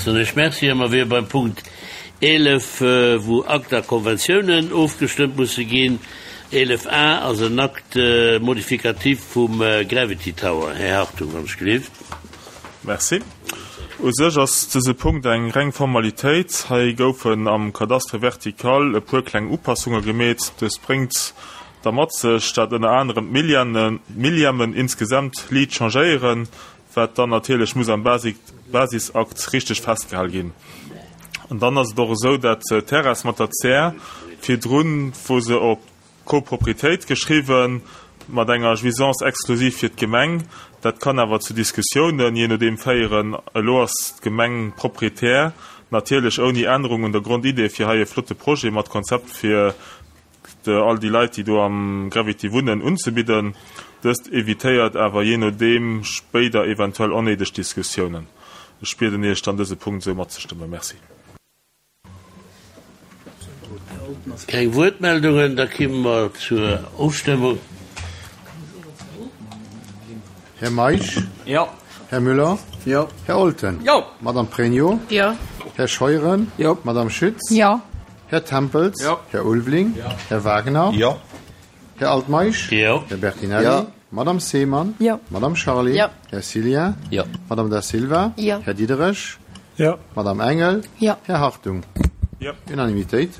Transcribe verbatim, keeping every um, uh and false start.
Soen ech Merci a mer wiere beim Punkt eelef, wou Akt a Konventiounen ofgestëmmt musse ginn. Eelef A ass en Acte modificatif vum Gravity Tower. Här Hartung, wann ech gelift. Merci. U sech ass dëse Punkt eng reng Formalitéit. Hei goufen am Cadastre vertical e puer kleng Upassunge gemeet. Dëst bréngt da mat sech, dat ënner anerem d'Millièmen insgesamt liit changéieren, wat dann natierlech muss am Basisakt richteg festgehal ginn. An dann ass et och esou, dat d'Terrasse mat der Zär virdrun, wou se op Copropriétéit geschriwwen, mat enger Jouissance exclusive fir d'Gemeng, dat kann awer zu Diskussiounen, jee nodeem, féieren. Elo ass d'Gemeng Proprietär, natierlech ouni Ännerung un der Grondidee, fir hei e flotte Projet mat Konzept fir all déi Leit, déi do am Gravity wunnen, unzebidden. Dëst evitéiert awer jee nodeem spéider eventuell onnéideg Diskussiounen. Ech bieden Iech dann, dëse Punkt esou matzestëmmen. Merci. Keng Wuertmeldungen, da kimme mer zur Ofstëmmung. Här Meisch? Jo. Här Müller? Jo. Här Olten? Jo. Madame Pregno? Jo. Här Scheuren? Jo. Madame Schütz? Jo. Här Tempels? Jo. Här Ulveling? Jo. Här Wagner? Jo. Här Altmeisch? Jo. Här Bertinelli? Jo. Madame Seemann? Jo. Madame Charlé? Jo. Här Cillien? Jo. Madame Da Silva? Jo. Här Diderich? Jo. Madame Engel? Jo. Här Hartung? Jo. Unanimitéit.